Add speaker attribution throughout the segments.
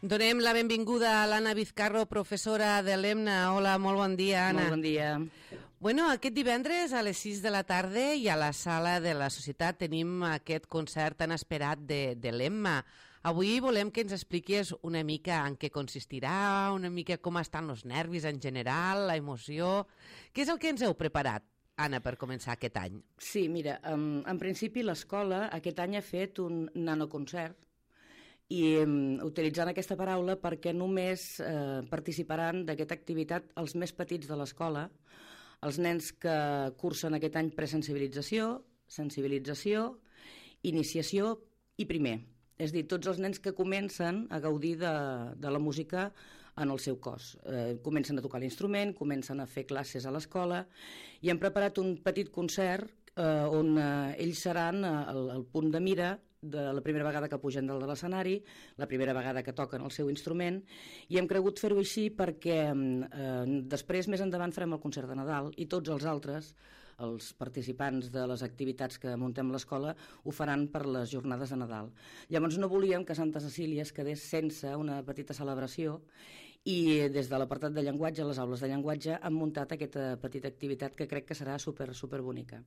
Speaker 1: Donem la benvinguda a l'Anna Vizcarro, professora de l'EMNA. Hola, molt bon dia, Anna.
Speaker 2: Molt bon dia.
Speaker 1: Bueno, aquest divendres a les 6 de la tarda i a la sala de la Societat tenim aquest concert tan esperat de l'EMMA. Avui volem que ens expliquis una mica en què consistirà, una mica com estan els nervis en general, la emoció. Què és el que ens heu preparat, Anna, per començar aquest any?
Speaker 2: Sí, mira, en principi l'escola aquest any ha fet un nanoconcert i utilitzant aquesta paraula perquè només participaran d'aquesta activitat els més petits de l'escola, els nens que cursen aquest any presensibilització, sensibilització, iniciació i primer. És a dir, tots els nens que comencen a gaudir de la música en el seu cos. Comencen a tocar l'instrument, comencen a fer classes a l'escola i hem preparat un petit concert on ells seran el punt de mira de la primera vegada que pugen dalt de l'escenari, la primera vegada que toquen el seu instrument, i hem cregut fer-ho així perquè després, més endavant, farem el concert de Nadal i tots els altres, els participants de les activitats que muntem a l'escola, ho faran per les jornades de Nadal. Llavors no volíem que Santa Cecília es quedés sense una petita celebració i des de l'apartat de llenguatge, les aules de llenguatge, han muntat aquesta petita activitat que crec que serà super bonica.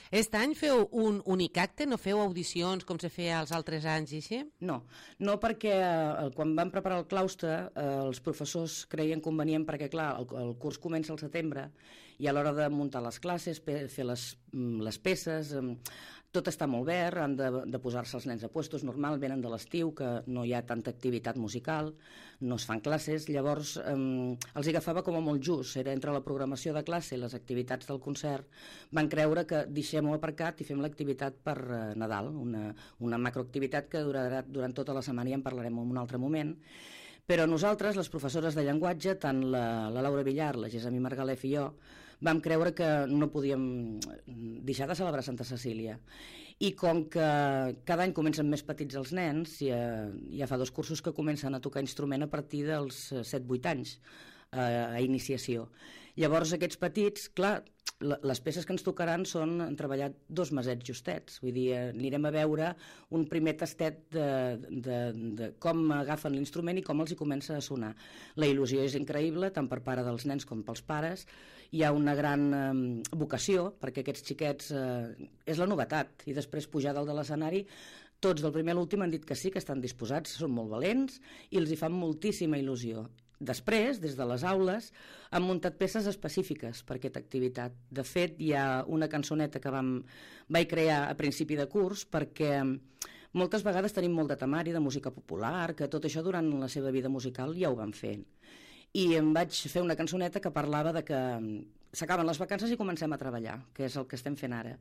Speaker 1: Aquest any feu un únic acte? No feu audicions com se feia els altres anys i així?
Speaker 2: No perquè quan vam preparar el claustre els professors creien convenient perquè, clar, el curs comença al setembre i a l'hora de muntar les classes, fer les peces, tot està molt verd, han de posar-se els nens a puestos, normal, venen de l'estiu, que no hi ha tanta activitat musical, no es fan classes, llavors els agafava com a molt just, era entre la programació de classe i les activitats del concert, van creure que deixem-ho aparcat i fem l'activitat per Nadal, una macroactivitat que durarà durant tota la setmana i en parlarem en un altre moment. Però nosaltres, les professores de llenguatge, tant la Laura Villar, la Gessamí Margalef i jo, vam creure que no podíem deixar de celebrar Santa Cecília. I com que cada any comencen més petits els nens, ja fa 2 cursos que comencen a tocar instrument a partir dels 7-8 anys, a iniciació. Llavors aquests petits, clar, les peces que ens tocaran han treballat 2 mesets justets, vull dir, anirem a veure un primer tastet de com agafen l'instrument i com els hi comença a sonar. La il·lusió és increïble, tant per part dels nens com pels pares, hi ha una gran vocació, perquè aquests xiquets és la novetat, i després pujar dalt de l'escenari, tots del primer a l'últim han dit que sí, que estan disposats, són molt valents i els hi fan moltíssima il·lusió. Després, des de les aules, han muntat peces específiques per aquesta activitat. De fet, hi ha una cançoneta que vaig crear a principi de curs perquè moltes vegades tenim molt de temari de música popular, que tot això durant la seva vida musical ja ho van fent. I em vaig fer una cançoneta que parlava de que s'acaben les vacances i comencem a treballar, que és el que estem fent ara.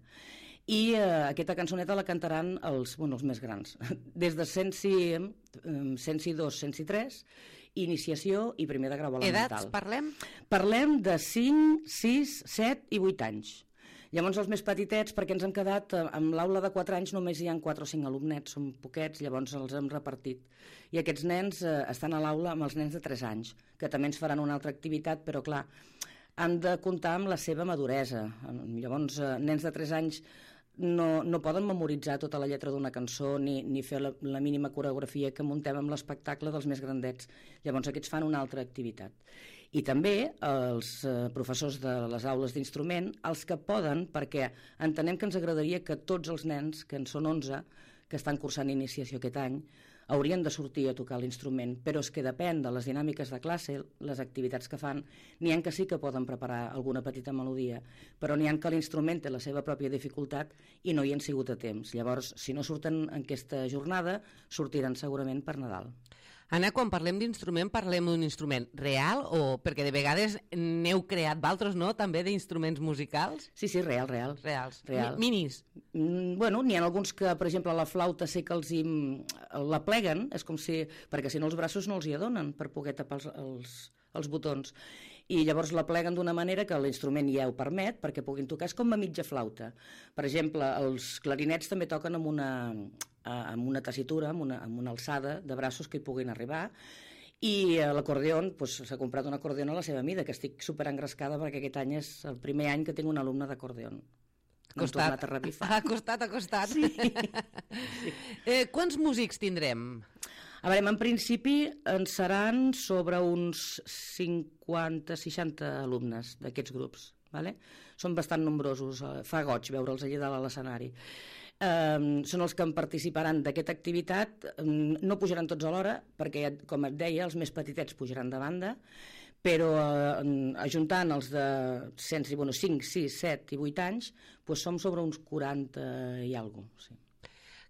Speaker 2: I aquesta cançoneta la cantaran els més grans, des de 102, 103, iniciació i primer de grau elemental.
Speaker 1: Edats parlem?
Speaker 2: Parlem de 5, 6, 7 i 8 anys. Llavors els més petitets, perquè ens hem quedat amb l'aula de 4 anys només hi ha 4 o 5 alumnets, són poquets, llavors els hem repartit. I aquests nens estan a l'aula amb els nens de 3 anys, que també ens faran una altra activitat, però clar, han de comptar amb la seva maduresa. Llavors, nens de 3 anys no poden memoritzar tota la lletra d'una cançó ni fer la mínima coreografia que muntem amb l'espectacle dels més grandets. Llavors aquests fan una altra activitat. I també els professors de les aules d'instrument, els que poden, perquè entenem que ens agradaria que tots els nens, que en són 11, que estan cursant iniciació aquest any, haurien de sortir a tocar l'instrument, però és que depèn de les dinàmiques de classe, les activitats que fan, n'hi ha que sí que poden preparar alguna petita melodia, però n'hi ha que l'instrument té la seva pròpia dificultat i no hi han sigut a temps. Llavors, si no surten en aquesta jornada, sortiran segurament per Nadal.
Speaker 1: Anna, quan parlem d'instrument, parlem d'un instrument real o perquè de vegades n'heu creat d'altres, no?, també d'instruments musicals?
Speaker 2: Sí, real.
Speaker 1: Reals.
Speaker 2: Real.
Speaker 1: Minis?
Speaker 2: Bueno, n'hi ha alguns que, per exemple, la flauta sé que la pleguen, és com si, perquè si no els braços no els hi adonen per poder tapar els botons, i llavors la pleguen d'una manera que l'instrument ja ho permet perquè puguin tocar, és com a mitja flauta. Per exemple, els clarinets també toquen amb una tessitura, amb una alçada de braços que hi puguin arribar, i l'acordeó, s'ha comprat un acordeó a la seva mida, que estic superengrescada perquè aquest any és el primer any que tinc un alumne d'acordeó.
Speaker 1: Ha costat.
Speaker 2: Sí.
Speaker 1: Quants músics tindrem?
Speaker 2: A veure, en principi en seran sobre uns 50-60 alumnes d'aquests grups. Vale? Són bastant nombrosos, fa goig veure'ls allà dalt a l'escenari. Són els que en participaran d'aquesta activitat, no pujaran tots alhora, perquè, com et deia, els més petitets pujaran de banda, però ajuntant els de 5, 6, 7 i 8 anys, doncs som sobre uns 40 i alguna cosa. Sí.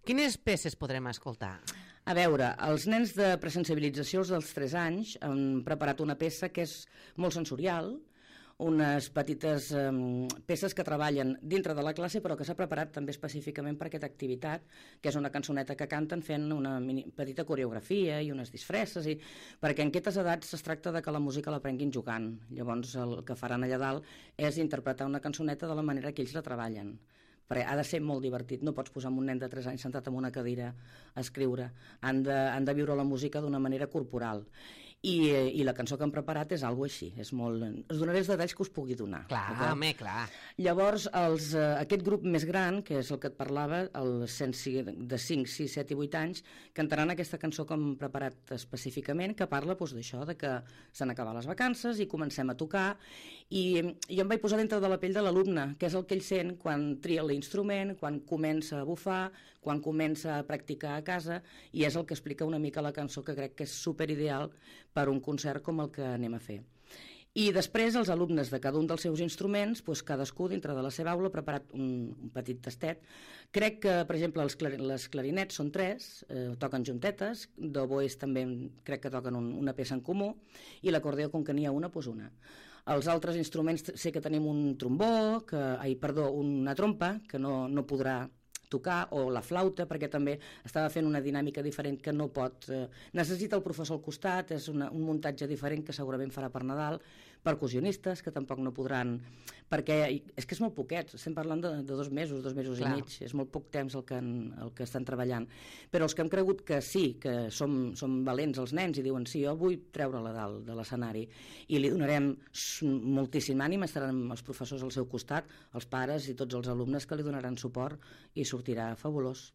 Speaker 1: Quines peces podrem escoltar?
Speaker 2: A veure, els nens de presensibilització, els dels 3 anys, han preparat una peça que és molt sensorial, unes petites peces que treballen dintre de la classe però que s'ha preparat també específicament per aquesta activitat, que és una cançoneta que canten fent una petita coreografia i unes disfresses, perquè en aquestes edats es tracta de que la música l'aprenguin jugant. Llavors el que faran allà dalt és interpretar una cançoneta de la manera que ells la treballen, perquè ha de ser molt divertit. No pots posar un nen de 3 anys sentat en una cadira a escriure. Han de viure la música d'una manera corporal. I la cançó que han preparat és alguna així. Us donaré els detalls que us pugui donar.
Speaker 1: Clar, home, clar.
Speaker 2: Llavors, aquest grup més gran, que és el que et parlava, de 5, 6, 7 i 8 anys, cantaran aquesta cançó que hem preparat específicament, que parla d'això, de que s'han acabat les vacances i comencem a tocar. I jo em vaig posar dintre de la pell de l'alumne, que és el que ell sent quan tria l'instrument, quan comença a bufar, quan comença a practicar a casa, i és el que explica una mica la cançó, que crec que és superideal per un concert com el que anem a fer. I després els alumnes de cada un dels seus instruments, cadascú dintre de la seva aula ha preparat un petit tastet. Crec que, per exemple, les clarinets són 3, toquen juntetes, d'oboès també crec que toquen una peça en comú, i l'acordeó, com que n'hi ha una, doncs una. Els altres instruments sé que tenim un trombó, una trompa, que no podrà tocar, o la flauta, perquè també estava fent una dinàmica diferent que no pot... necessita el professor al costat, és un muntatge diferent que segurament farà per Nadal, percussionistes, que tampoc no podran... perquè és que és molt poquet, estem parlant de 2 mesos, 2 mesos i mig, és molt poc temps el que estan treballant. Però els que hem cregut que sí, que som valents els nens i diuen sí, jo vull treure-la dalt de l'escenari i li donarem moltíssim ànim, estaran els professors al seu costat, els pares i tots els alumnes que li donaran suport i sortirà fabulós.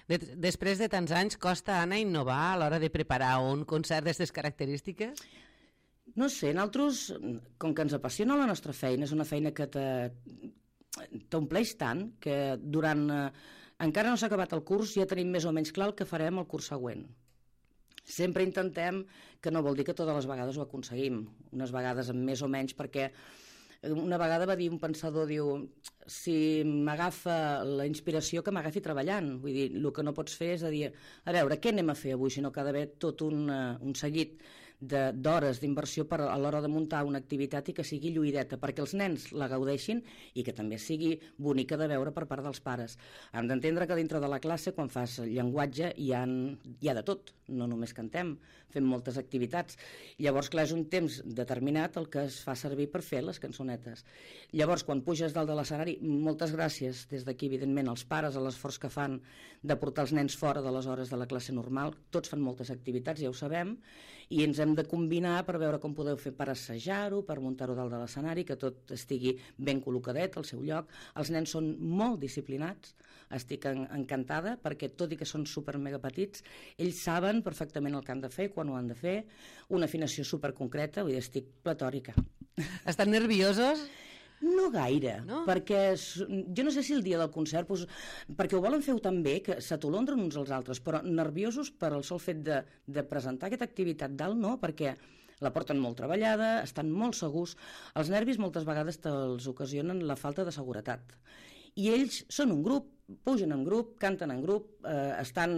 Speaker 1: Després de tants anys, costa, Anna, innovar a l'hora de preparar un concert d'aquestes característiques?
Speaker 2: No sé, nosaltres, com que ens apassiona la nostra feina, és una feina que t'ompleix tant que durant... encara no s'ha acabat el curs, ja tenim més o menys clar el que farem el curs següent. Sempre intentem, que no vol dir que totes les vegades ho aconseguim, unes vegades amb més o menys, perquè una vegada va dir un pensador, diu, si m'agafa la inspiració, que m'agafi treballant. Vull dir, el que no pots fer és dir, a veure, què anem a fer avui, sinó que ha d'haver tot un seguit d'hores d'inversió a l'hora de muntar una activitat i que sigui lluïdeta, perquè els nens la gaudeixin i que també sigui bonica de veure per part dels pares. Hem d'entendre que dintre de la classe, quan fas llenguatge, hi ha de tot, no només cantem, fem moltes activitats. Llavors, clar, és un temps determinat el que es fa servir per fer les cançonetes. Llavors, quan puges dalt de l'escenari, moltes gràcies des d'aquí, evidentment, als pares, a l'esforç que fan de portar els nens fora de les hores de la classe normal. Tots fan moltes activitats, ja ho sabem, i ens hem de combinar per veure com podeu fer per assajar-ho, per muntar-ho dalt de l'escenari, que tot estigui ben col·locadet al seu lloc. Els nens són molt disciplinats, estic encantada, perquè tot i que són super mega petits, ells saben perfectament el que han de fer, quan ho han de fer, una afinació superconcreta, vull dir, estic platòrica.
Speaker 1: Estan nerviosos?
Speaker 2: No gaire, no? Perquè jo no sé si el dia del concert, perquè ho volen fer tan bé que s'atolondren uns als altres, però nerviosos per el sol fet de presentar aquesta activitat dalt, no, perquè la porten molt treballada, estan molt segurs. Els nervis moltes vegades te'ls ocasionen la falta de seguretat. I ells són un grup, pugen en grup, canten en grup, estan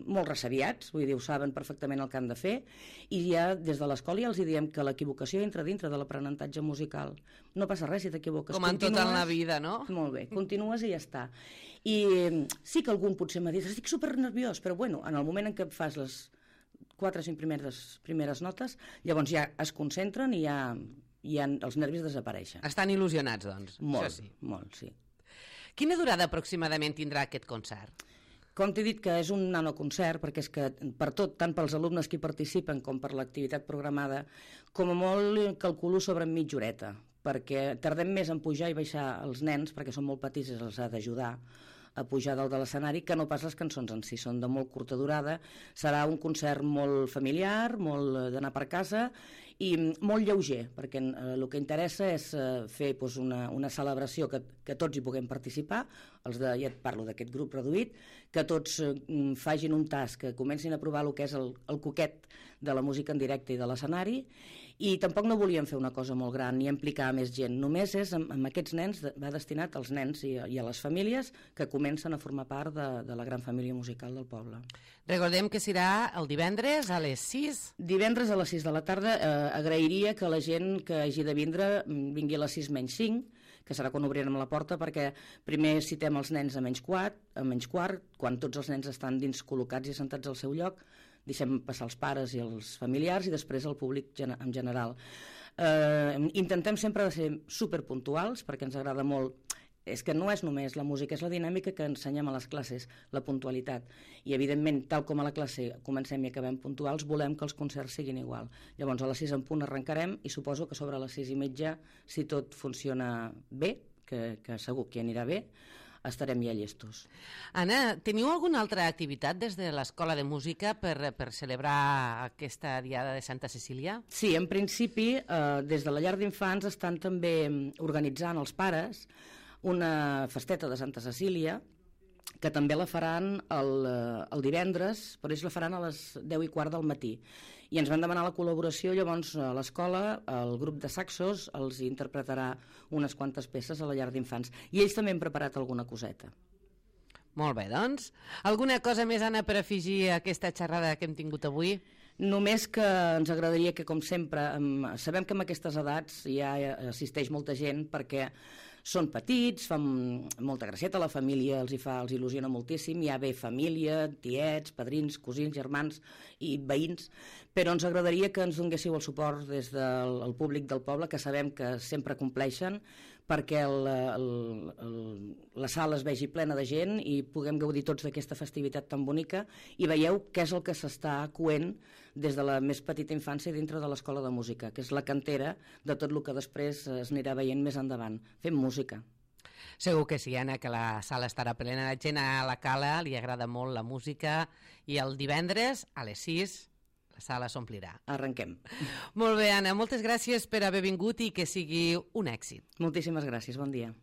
Speaker 2: molt ressabiats, vull dir, ho saben perfectament el que han de fer, i ja des de l'escola ja els diem que l'equivocació entra dintre de l'aprenentatge musical. No passa res si t'equivoques.
Speaker 1: Com en tota la vida, no?
Speaker 2: Molt bé, continues i ja està. I sí que algun potser m'ha dit, estic supernerviós, però bueno, en el moment en què fas les 4 o 5 primeres notes, llavors ja es concentren i ja els nervis desapareixen.
Speaker 1: Estan il·lusionats, doncs.
Speaker 2: Molt,
Speaker 1: sí.
Speaker 2: Molt, sí.
Speaker 1: Quina durada aproximadament tindrà aquest concert?
Speaker 2: Com t'he dit que és un nanoconcert, perquè és que per tot, tant pels alumnes que hi participen com per l'activitat programada, com a molt calculo sobre mitja horeta, perquè tardem més en pujar i baixar els nens, perquè són molt petits i els ha d'ajudar a pujar dalt de l'escenari, que no pas les cançons en si, són de molt curta durada. Serà un concert molt familiar, molt d'anar per casa i molt lleuger, perquè el que interessa és fer una celebració que tots hi puguem participar, ja et parlo d'aquest grup reduït, que tots facin un tas, que comencin a provar el que és el coquet de la música en directe i de l'escenari, i tampoc no volíem fer una cosa molt gran ni implicar més gent, només és amb aquests nens, va destinat als nens i a les famílies que comencen a formar part de la gran família musical del poble.
Speaker 1: Recordem que serà el divendres a les 6.
Speaker 2: Divendres a les 6 de la tarda. Agrairia que la gent que hagi de vindre vingui a les 6 menys 5, que serà quan obrirem la porta, perquè primer citem els nens a menys quart, quan tots els nens estan dins col·locats i sentats al seu lloc, deixem passar els pares i els familiars i després el públic en general. Intentem sempre de ser superpuntuals perquè ens agrada molt. És que no és només la música, és la dinàmica que ensenyem a les classes, la puntualitat. I, evidentment, tal com a la classe comencem i acabem puntuals, volem que els concerts siguin igual. Llavors, a les 6 en punt arrencarem i suposo que sobre les 6 i mitja, si tot funciona bé, que segur que anirà bé, estarem ja llestos.
Speaker 1: Anna, teniu alguna altra activitat des de l'Escola de Música per celebrar aquesta Diada de Santa Cecília?
Speaker 2: Sí, en principi, des de la llar d'infants estan també organitzant els pares una festeta de Santa Cecília, que també la faran el divendres, però ells la faran a les 10:15 del matí. I ens van demanar la col·laboració, llavors a l'escola, el grup de saxos els interpretarà unes quantes peces a la llar d'infants. I ells també han preparat alguna coseta.
Speaker 1: Molt bé, doncs. Alguna cosa més, Anna, per afegir a aquesta xerrada que hem tingut avui?
Speaker 2: Només que ens agradaria que, com sempre, sabem que en aquestes edats ja assisteix molta gent perquè són petits, fan molta gracieta, la família els il·lusiona moltíssim, hi ha bé família, tiets, padrins, cosins, germans i veïns, però ens agradaria que ens donéssiu el suport des del públic del poble, que sabem que sempre compleixen, perquè la sala es vegi plena de gent i puguem gaudir tots d'aquesta festivitat tan bonica i veieu què és el que s'està coent des de la més petita infància dintre de l'Escola de Música, que és la cantera de tot el que després es anirà veient més endavant. Fem música.
Speaker 1: Segur que sí, Anna, que la sala estarà plena de gent. A la Cala li agrada molt la música i el divendres a les 6 la sala s'omplirà.
Speaker 2: Arrenquem.
Speaker 1: Molt bé, Anna, moltes gràcies per haver vingut i que sigui un èxit.
Speaker 2: Moltíssimes gràcies, bon dia.